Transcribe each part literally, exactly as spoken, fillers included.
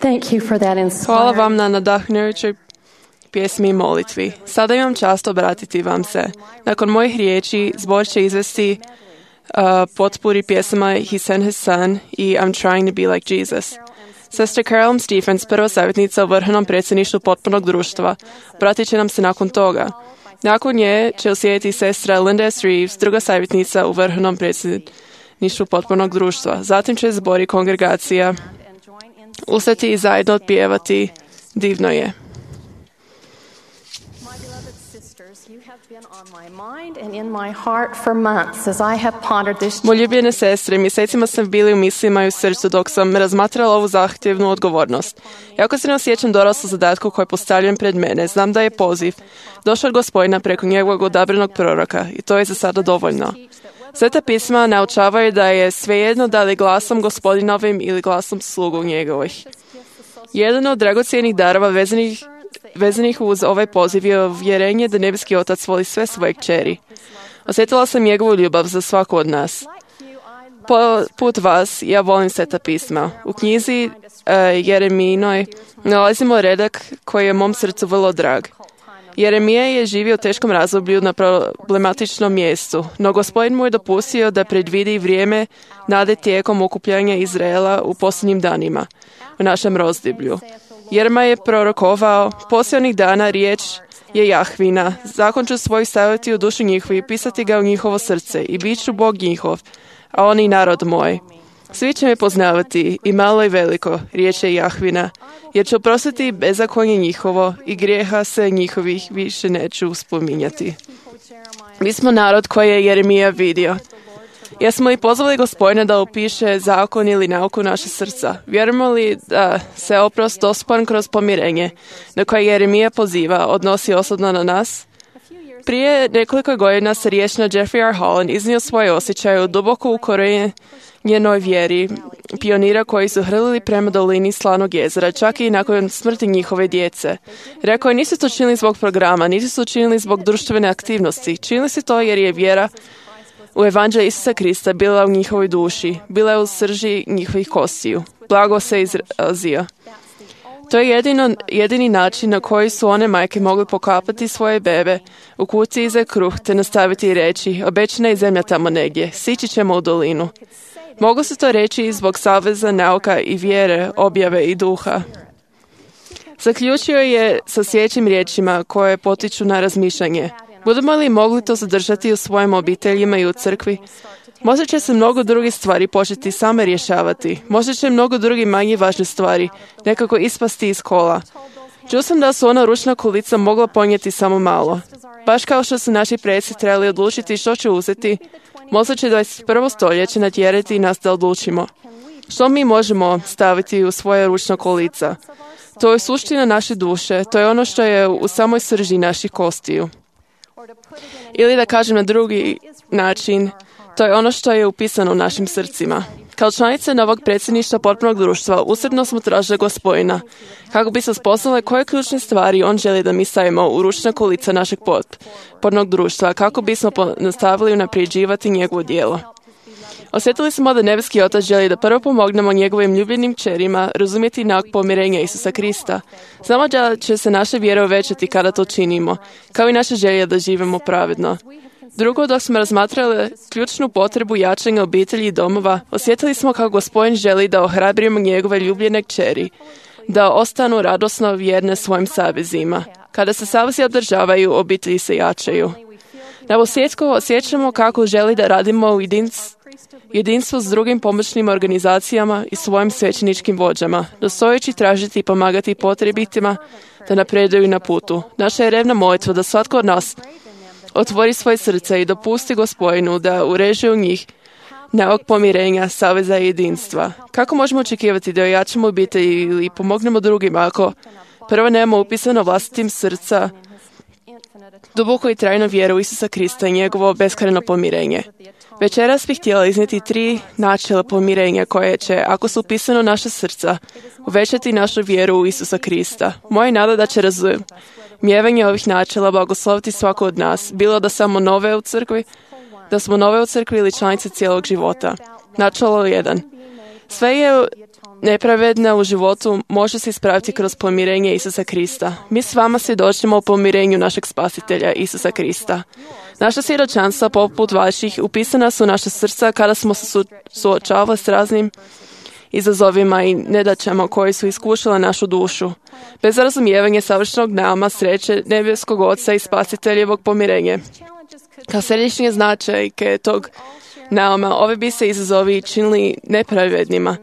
Thank you for that inspiring. Hvala vam na nadahnujućoj pjesmi i molitvi. Sada imam čast obratiti vam se. Nakon mojih riječi, zbor će izvesti uh, potpuri pjesama He Sent His Son i I'm Trying to Be Like Jesus. Sestra Carolyn Stephens, prva savjetnica u Vrhovnom predsjedništvu potpunog društva, obratit će nam se nakon toga. Nakon nje će uslijediti sestra Linda S. Reeves, druga savjetnica u Vrhovnom predsjedništvu potpunog društva. Zatim će zbor i kongregacija ustati i zajedno otpjevati Divno je. Moje ljubljene sestre, mjesecima sam bili u mislima i u srcu dok sam razmatrala ovu zahtjevnu odgovornost. Jako se ne osjećam dorasla zadatku koji je postavljen pred mene. Znam da je poziv došao od Gospodina preko njegovog odabranog proroka i to je za sada dovoljno. Sveta pisma naučavaju da je svejedno da li glasom Gospodinovim ili glasom slugu njegovih. Jedan od dragocjenih darova vezanih vezanih uz ovaj poziv je uvjerenje da nebeski Otac voli sve svoje kćeri. Osjetila sam njegovu ljubav za svaku od nas. Poput vas, ja volim Sveta pisma. U knjizi uh, Jeremijinoj nalazimo redak koji je mom srcu vrlo drag. Jeremija je živio u teškom razdoblju na problematičnom mjestu, no Gospodin mu je dopustio da predvidi vrijeme nade tijekom okupljanja Izraela u posljednjim danima, u našem razdoblju. Jeremija je prorokovao, posljednjih dana riječ je Jahvina, zakon ću svoj staviti u dušu njihovu i pisati ga u njihovo srce i bit ću Bog njihov, a oni narod moj. Svi će me poznavati, i malo i veliko, riječ je Jahvina, jer ću oprostiti bezakonje njihovo i grijeha se njihovih više neću spominjati. Mi smo narod koji je Jeremija vidio. Jesmo li pozvali Gospodina da upiše zakon ili nauku naše srca? Vjerujemo li da se oprost dostupan kroz pomirenje na koje Jeremija poziva odnosi osobno na nas? Prije nekoliko godina se riječna Jeffrey R. Holland iznio svoje osjećaje u duboko ukorenjenoj vjeri pionira koji su hrlili prema dolini Slanog jezera, čak i nakon smrti njihove djece. Rekao je, nisu to činili zbog programa, nisu to činili zbog društvene aktivnosti. Činili su to jer je vjera u evanđelje Isusa Krista bila u njihovoj duši, bila je u srži njihovih kostiju. Blago se izrazio. To je jedino, jedini način na koji su one majke mogli pokapati svoje bebe u kutiji za kruh te nastaviti i reći, obećana je zemlja tamo negdje, sići ćemo u dolinu. Mogu se to reći i zbog saveza nauka i vjere, objave i duha. Zaključio je sa sljedećim riječima koje potiču na razmišljanje. Budemo li mogli to zadržati u svojim obiteljima i u crkvi? Možda će se mnogo drugih stvari početi same rješavati. Možda će mnogo drugih manje važne stvari nekako ispasti iz kola. Čuo sam da su ona ručna kolica mogla ponijeti samo malo. Baš kao što su naši preci trebali odlučiti što će uzeti, možda će dvadeset prvo stoljeće natjerati nas da odlučimo. Što mi možemo staviti u svoje ručna kolica? To je suština naše duše, to je ono što je u samoj srži naših kostiju. Ili da kažem na drugi način, to je ono što je upisano u našim srcima. Kao članice novog predsjedništva potpunog društva, usredno smo tražili Gospodina, kako bi se spoznale koje ključne stvari on želi da mi stavimo u ručna kolica našeg potpornog društva, kako bismo nastavili unapređivati njegovo djelo. Osjetili smo da nebeski Otac želi da prvo pomognemo njegovim ljubljenim kćerima razumjeti nauk pomirenja Isusa Krista. Znamo da će se naša vjera uvećati kada to činimo, kao i naša želja da živimo pravedno. Drugo, dok smo razmatrali ključnu potrebu jačanja obitelji i domova, osjetili smo kako Gospodin želi da ohrabrimo njegove ljubljene kćeri, da ostanu radosno vjerne svojim savezima. Kada se savezi održavaju, obitelji se jačaju. Na posljedku osjećamo kako želi da radimo u jedinstvu s drugim pomoćnim organizacijama i svojim svećeničkim vođama, nastojeći tražiti i pomagati potrebitima da napreduju na putu. Naša je revna molitva da svatko od nas otvori svoje srce i dopusti Gospodinu da ureže u njih nauk pomirenja, saveza i jedinstva. Kako možemo očekivati da ojačamo obitelji ili pomognemo drugima ako prvo nemamo upisano vlastitim srca duboko i trajno vjeru u Isusa Krista i njegovo beskrajno pomirenje? Večeras bih htjela iznijeti tri načela pomirenja koje će, ako su upisano u naša srca, uvećati našu vjeru u Isusa Krista. Moja nada da će razumijevanje ovih načela blagosloviti svako od nas, bilo da samo nove u crkvi, da smo nove u crkvi ili članice cijelog života. Načelo jedan. Sve je nepravedna u životu može se ispraviti kroz pomirenje Isusa Krista. Mi s vama svjedočimo o pomirenju našeg spasitelja Isusa Krista. Naša svjedočanstva, poput vaših, upisana su u naša srca kada smo se su, suočavali s raznim izazovima i nedaćama koji su iskušale našu dušu. Bez razumijevanja savršenog nama, sreće, nebeskog Oca i spasiteljevog pomirenja. Kao središnje značajke tog nauma, ove bi se izazovi činili nepravednima.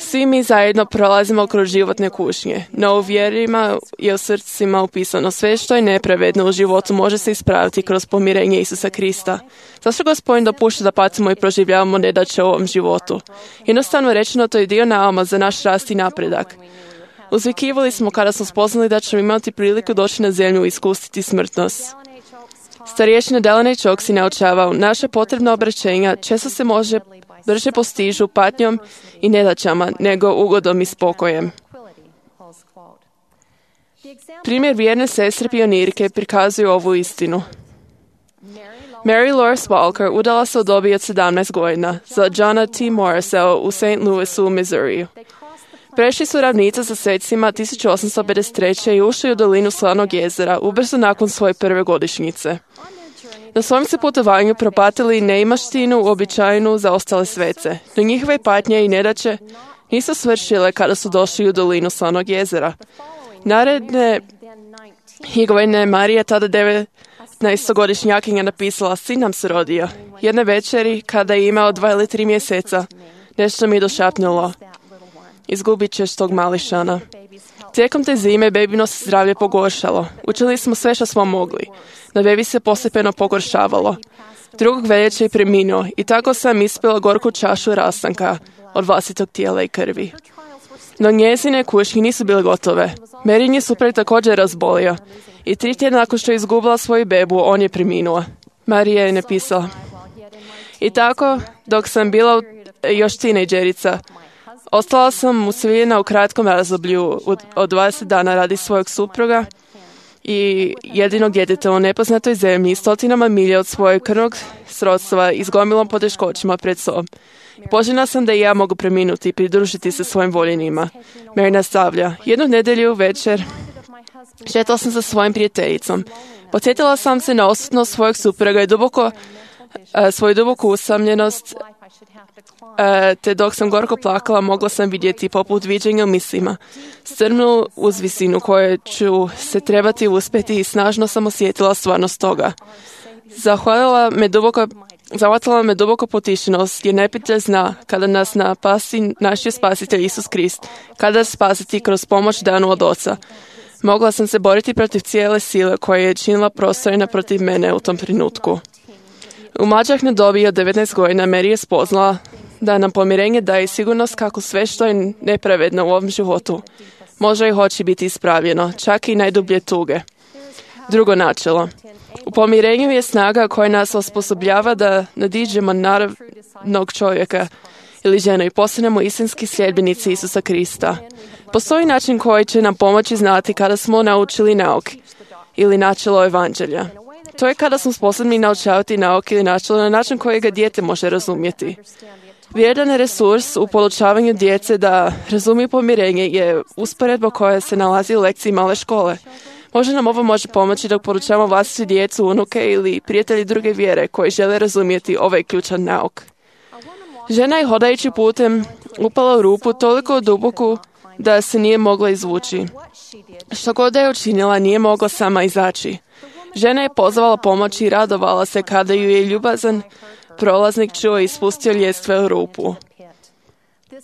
Svi mi zajedno prolazimo kroz životne kušnje, no u vjerima je u srcima upisano sve što je nepravedno u životu može se ispraviti kroz pomirenje Isusa Krista. Zašto Gospodin dopušta da patimo i proživljavamo nedaće u ovom životu? Jednostavno rečeno, to je dio nauma za naš rast i napredak. Uzvikivali smo kada smo spoznali da ćemo imati priliku doći na zemlju i iskusiti smrtnost. Starješina Delaney Choksi naučavao, naše potrebna obraćenja često se može brže postižu patnjom i nedaćama nego ugodom i spokojem. Primjer vjerne sestre pionirke prikazuju ovu istinu. Mary Loris Walker udala se u dobi od sedamnaest godina za Johna T. Morrisa u Saint Louisu u Missouriju. Prešli su ravnice sa svecima tisuću osamsto pedeset treće i ušli u dolinu Slanog jezera ubrzo nakon svoje prve godišnjice. Na svom se putovanju propatili neimaštinu uobičajenu za ostale svece, no njihove patnje i nedaće nisu svršile kada su došli u dolinu Slanog jezera. Naredne godine Marija, tada devetnaestogodišnjakinja, napisala, sin nam se rodio. Jedne večeri, kada je imao dva ili tri mjeseca, nešto mi je došapnulo. Izgubit ćeš tog mališana. Tijekom te zime bebino se zdravlje pogoršalo. Učili smo sve što smo mogli. No bebi se postepeno pogoršavalo. Drugog veljače je preminuo i tako sam ispila gorku čašu rastanka od vlastitog tijela i krvi. No njezine kušnje nisu bile gotove. Merin je suprug također razbolio i tri tjedna nakon što je izgubila svoju bebu, on je preminuo. Marija je napisala. I tako, dok sam bila još tinejdžerica, ostala sam usviljena u kratkom razdoblju od dvadeset dana radi svojeg supruga i jedinog djeteta u nepoznatoj zemlji, stotinama milja od svojeg krvnog srodstva i s gomilom poteškoćima pred sobom. Poželjna sam da i ja mogu preminuti i pridružiti se svojim voljenima. Mary nastavlja. Jednu nedjelju večer šetala sam sa svojim prijateljicom. Podsjetila sam se na odsutnost svojeg supruga i duboko, a, svoju duboku usamljenost, a, te dok sam gorko plakala, mogla sam vidjeti poput viđenja u mislima strmnu uzvisinu koje ću se trebati uspjeti i snažno sam osjetila stvarnost toga. Zahvalila me duboko Zavatila me duboko potišenost, jer neprijatelj zna kada nas napasti naš je spasitelj Isus Krist, kada spasiti kroz pomoć danu od Oca. Mogla sam se boriti protiv cijele sile koja je činila prostorina protiv mene u tom trenutku. U mlađahnoj dobi od devetnaest godina Mary je spoznala da nam pomirenje daje sigurnost kako sve što je nepravedno u ovom životu može i hoće biti ispravljeno, čak i najdublje tuge. Drugo načelo. U pomirenju je snaga koja nas osposobljava da nadiđemo naravnog čovjeka ili ženu i postanemo istinski sljedbenici Isusa Krista. Postoji način koji će nam pomoći znati kada smo naučili nauk ili načelo evanđelja. To je kada smo sposobni naučavati nauk ili načelo na način koji ga dijete može razumjeti. Vrijedan resurs u podučavanju djece da razumiju pomirenje je usporedba koja se nalazi u lekciji male škole. Možda nam ovo može pomoći dok poručavamo vlastitu djecu, unuke ili prijatelji druge vjere koji žele razumjeti ovaj ključan nauk. Žena je hodajući putem upala u rupu toliko duboku da se nije mogla izvući. Što god da je učinila, nije mogla sama izaći. Žena je pozvala pomoć i radovala se kada ju je ljubazan prolaznik čuo i spustio ljestve u rupu.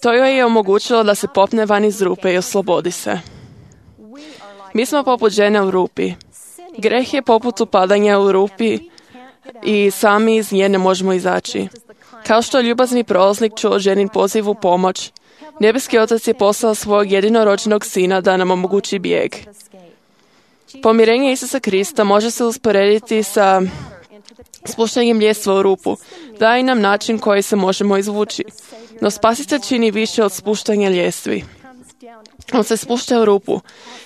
To joj je omogućilo da se popne van iz rupe i oslobodi se. Mi smo poput žene u rupi. Greh je poput upadanja u rupi i sami iz nje ne možemo izaći. Kao što ljubazni prolaznik čuo ženin poziv u pomoć, nebeski Otac je poslao svog jedinorođenog sina da nam omogući bijeg. Pomirenje Isusa Krista može se usporediti sa spuštanjem ljestva u rupu. Daje nam način koji se možemo izvući. No spasitelj čini više od spuštanja ljestvi. On se spušta u rupu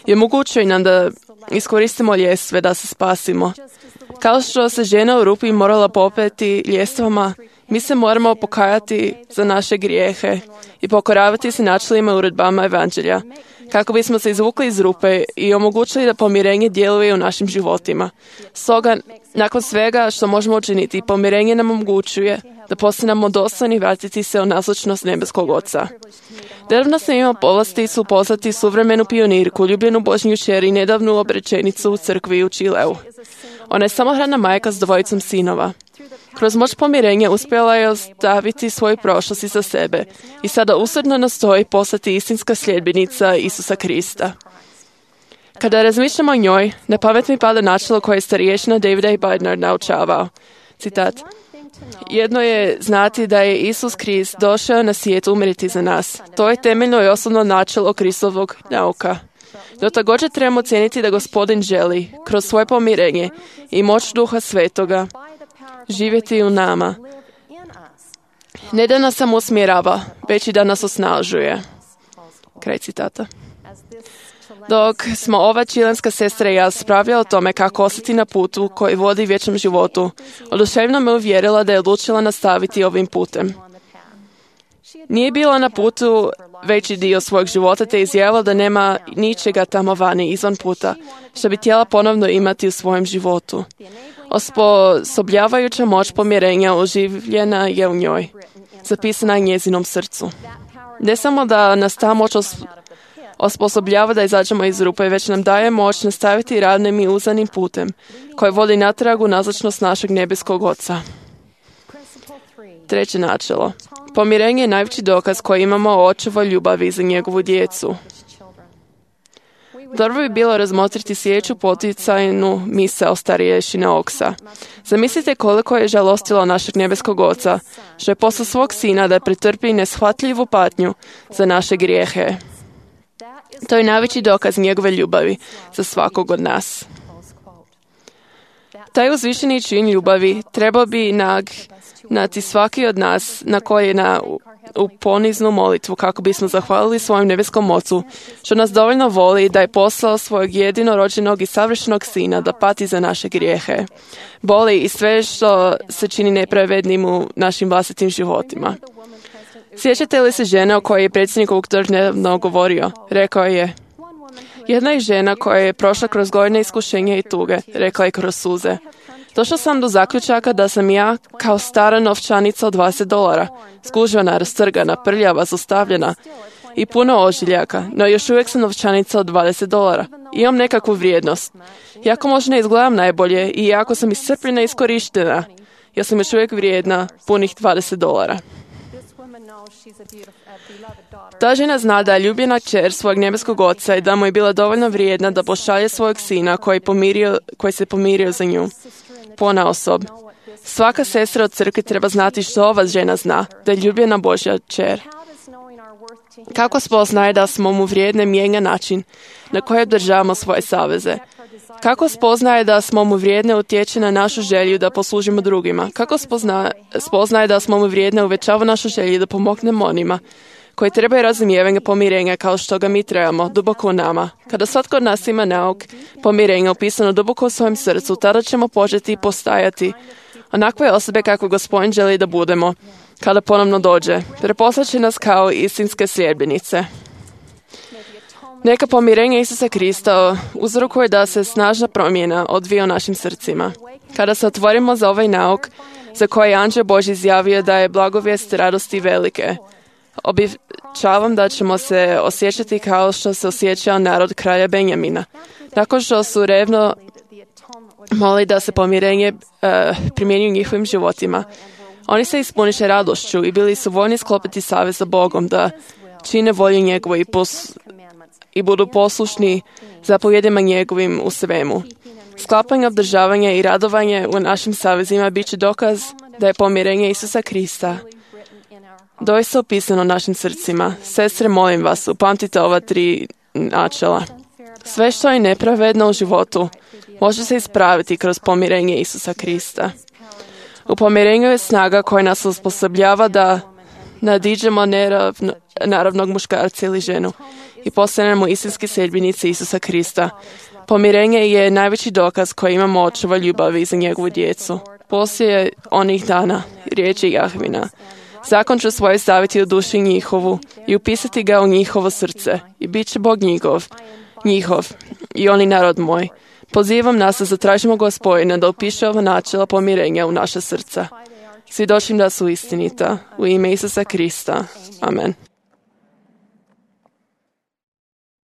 i omogućuje nam da iskoristimo ljestve da se spasimo. Kao što se žena u rupi morala popeti ljestvama Mi se moramo pokajati za naše grijehe i pokoravati se načelima i uredbama evanđelja, kako bismo se izvukli iz rupe i omogućili da pomirenje djeluje u našim životima. Stoga, nakon svega što možemo učiniti, pomirenje nam omogućuje da postanemo dostojni vratiti se u nazočnost nebeskog Oca. Nedavno sam imao povlasticu upoznati suvremenu pionirku, ljubljenu Božnju kćer i nedavnu obrečenicu u crkvi u Čileu. Ona je samohrana majka s dvojicom sinova. Kroz moć pomirenja uspjela je ostaviti svoju prošlost iza sebe i sada usrdno nastoji postati istinska sljedbenica Isusa Krista. Kada razmišljamo o njoj, na pamet mi pada načelo koje je starješina David A. Bednar naučavao. Citat. Jedno je znati da je Isus Krist došao na svijet umreti za nas. To je temeljno i osnovno načelo Kristovog nauka. No također trebamo cijeniti da Gospodin želi, kroz svoje pomirenje i moć Duha Svetoga, živjeti u nama. Ne da nas samo usmjerava, već i da nas osnažuje. Kraj citata. Dok smo ova čilenska sestra i ja spravljali o tome kako ostati na putu koji vodi vječnom životu, oduševno me uvjerila da je odlučila nastaviti ovim putem. Nije bila na putu veći dio svojeg života te izjavila da nema ničega tamo vani izvan puta, što bi htjela ponovno imati u svojem životu. Osposobljavajuća moć pomirenja oživljena je u njoj, zapisana je njezinom srcu. Ne samo da nas ta moć os- osposobljava da izađemo iz rupe, već nam daje moć nastaviti ravnim i uzanim putem, koji vodi natrag u nazočnost našeg nebeskog Oca. Treće načelo. Pomirenje je najveći dokaz koji imamo o očevoj ljubavi za njegovu djecu. Dobro bi bilo razmotriti sljedeću poticajnu misao starješine Oksa. Zamislite koliko je žalostilo našeg nebeskog Oca, što je poslao svog sina da pretrpi neshvatljivu patnju za naše grijehe. To je najveći dokaz njegove ljubavi za svakog od nas. Taj uzvišeni čin ljubavi trebao bi nagnati svaki od nas na koljena u, u poniznu molitvu kako bismo zahvalili svojem nebeskom Ocu, što nas dovoljno voli da je poslao svojeg jedinorođenog i savršenog sina da pati za naše grijehe, boli i sve što se čini nepravednim u našim vlastitim životima. Sjećate li se žene o kojoj je predsjednik ovog trg nedavno govorio? Rekao je, jedna je žena koja je prošla kroz godine iskušenja i tuge, rekla je kroz suze. Došla sam do zaključaka da sam ja, kao stara novčanica od dvadeset dolara, skužvana, rastrgana, prljava, zostavljena i puno ožiljaka, no još uvijek sam novčanica od dvadeset dolara. Imam nekakvu vrijednost. Iako možda ne izgledam najbolje i iako sam iscrpljena i iskorištena, ja sam još uvijek vrijedna punih dvadeset dolara. Ta žena zna da je ljubljena kćer svojeg nebeskog Oca i da mu je bila dovoljno vrijedna da pošalje svojeg sina koji, pomirio, koji se pomirio za nju. Ponaosob. Svaka sestra od crkve treba znati što ova žena zna, da je ljubljena Božja kćer. Kako spoznaje da smo mu vrijedne mijenja način na koji održavamo svoje saveze? Kako spoznaje da smo mu vrijedne utječe na našu želju da poslužimo drugima? Kako spozna, spoznaje da smo mu vrijedne uvećava našu želju da pomognemo onima koji trebaju razumijevanja pomirenja kao što ga mi trebamo, duboko u nama? Kada svatko od nas ima nauk pomirenja upisano duboko u svojem srcu, tada ćemo početi postajati onakve osobe kako Gospodin želi da budemo kada ponovno dođe. Preposlaće nas kao istinske sljedbenice. Neka pomirenje Isusa Krista uzrokuje da se snažna promjena odvija u našim srcima. Kada se otvorimo za ovaj nauk, za koji je Anđeo Božji izjavio da je blagovijest radosti velike, obećavam da ćemo se osjećati kao što se osjećao narod kralja Benjamina. Nakon što su revno moli da se pomirenje uh, primjenjuje u njihovim životima, oni se ispuniše radošću i bili su voljni sklopiti savez sa Bogom da čine volju njegovu i, pos, i budu poslušni zapovjedima njegovim u svemu. Sklapanje, obdržavanje i radovanje u našim savezima bit će dokaz da je pomirenje Isusa Krista doista upisano našim srcima. Sestre, molim vas, upamtite ova tri načela. Sve što je nepravedno u životu može se ispraviti kroz pomirenje Isusa Krista. U pomirenju je snaga koja nas osposobljava da nadiđemo neravno, naravnog muškarca ili ženu i postanemo istinski sljedbenici Isusa Krista. Pomirenje je najveći dokaz koji imamo očeva ljubavi za njegovu djecu. Poslije onih dana, riječi Jahvina, zakon ću svoj staviti u duši njihovu i upisati ga u njihovo srce i bit će Bog njihov, njihov i oni narod moj. Pozivam nas da zatražimo Gospodina da upiše ova načela pomirenja u naše srca. Svjedočim da su istinita. U ime Isusa Krista. Amen.